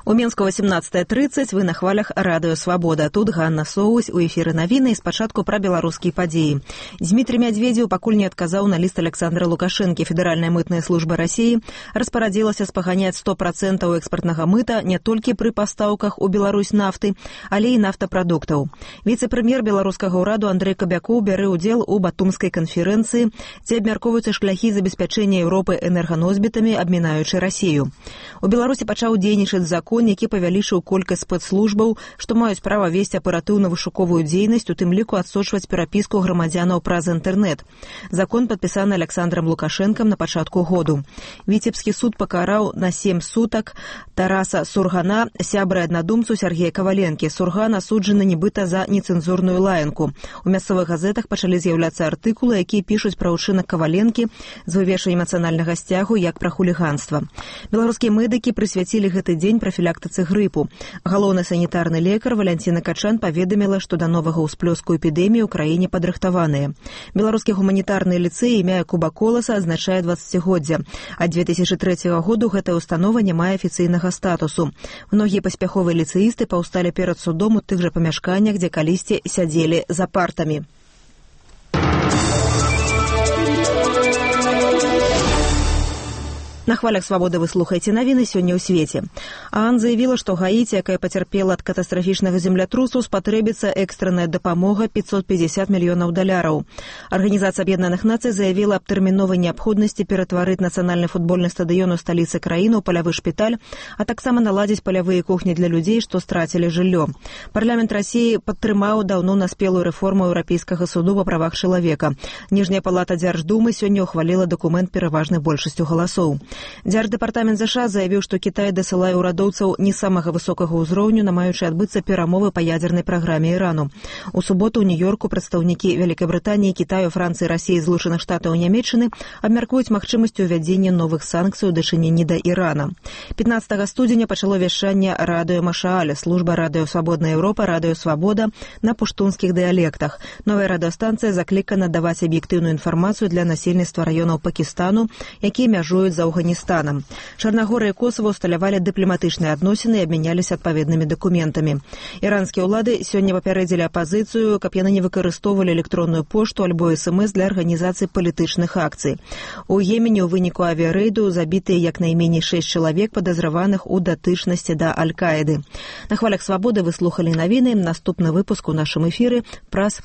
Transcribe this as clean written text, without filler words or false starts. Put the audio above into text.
У Мінску 18:30, вы на хвалях Радыё Свабода. Тут Ганна Соусь, у эфіры навіны, і спачатку пра беларускія падзеі. Дмітрий Медведзеў пакуль не адказаў на ліст Александра Лукашэнкі. Федэральная мытная служба Расіі распарадзілася спаганяць 100% экспартнага мыта не толькі пры пастаўках у Беларусь нафты, але і нафтапрадуктаў. Віцэ-прэм'ер беларускага ўраду Андрэй Кабякоў бярэ ўдзел у батумскай канферэнцыі, дзе абмяркоўваюцца шляхі забеспячэння Еўропы энерганосьбітамі, абмінаючы Расію. У Беларусі пачаў дзейнічаць закон, які павялічыў колькасць спецслужбаў, што маюць права весці аператыўна-вышуковую дзейнасць, у тым ліку адсочваць перапіску грамадзянаў праз інтэрнэт. Закон падпісаны Александром Лукашэнкам на пачатку году. Віцебскі суд пакараў на 7 сутак Тараса Сургана, сябра і аднадумцу Сергея Каваленкі. Сурган асуджаны нібыта за нецэнзурную лаянку. У мясцовых газетах пачалі з'яўляцца артыкулы, якія пішуць пра ўчынак Каваленкі з вывешваннем эмацыянальнага сцягу як пра хуліганства. Беларускія медыкі прысвяцілі гэты дзень профілактыцы грыпу. Галоўны санітарны лекар Валянціна Качан паведаміла, што да новага ўсплёску эпідэміі ў краіне падрыхтаваныя. Беларускі гуманітарны ліцэй імя Якуба Коласа азначае 20-годдзя. Ад 2003 году гэтая установа не мае афіцыйнага статусу. Многія паспяховыя ліцэісты паўсталі перад судом у тых жа памяшканнях, дзе калісьці сядзелі за партамі. На хвалях Свабоды вы слухаеце навіны сёння ў свеце. ААН заявіла, што Гаіці, якая пацярпела ад катастрафічнага землятрусу, спатрэбіцца экстранная дапамога $550 мільёнаў. Арганізацыя Аб'яднаных Нацый заявіла аб тэрміновай неабходнасці ператварыць нацыянальны футбольны стадыён у сталіцы краіны ў палявы шпіталь, а таксама наладзіць палявыя кухні для людзей, што страцілі жыллё. Парламент Расіі падтрымаў даўно наспелую рэформу Еўрапейскага суду па правах чалавека. Ніжняя палата Дзярждумы сёння ўхваліла дакумент пераважнай большасцю галасоў. Дзярждэпартамент ЗША заявіў, што Кітай дасылае ўрадоўцаў не самага высокага ўзроўню, намаючы адбыцца перамовы па ядзернай праграме Ірану. У суботу ў Нью-Йорку прадстаўнікі Вялікай Брытаніі, Кітаю, Францыі, Расіі, Злучаных Штатаў і Нямецчыны абмяркуюць магчымасць увядзення новых санкцый у дачыненні да Ірана. 15 студзеня пачало вяшчанне радыё Машааль, служба радыё Свабодная Еўропа, радыё Свабода на пуштунскіх дыялектах. Новая радыёстанцыя заклікана даваць аб'ектыўную інфармацыю для насельніцтва раёнаў Пакістану, якія мяжуюць з Афганістанам. Чарнагорыя і Косава ўсталявалі дыпламатычныя адносіны і абмяняліся адпаведнымі дакументамі. Іранскія ўлады сёння папярэдзілі апазіцыю, каб яны не выкарыстоўвалі электронную пошту альбо СМС для арганізацыі палітычных акцый. У Йемене ў выніку авіярэйду забітыя як найменей 6 чалавек, падазраваных у датычнасці да Аль-Каіды. На хвалях Свабоды вы слухалі навіны. Наступны выпуск у нашым эфіры праз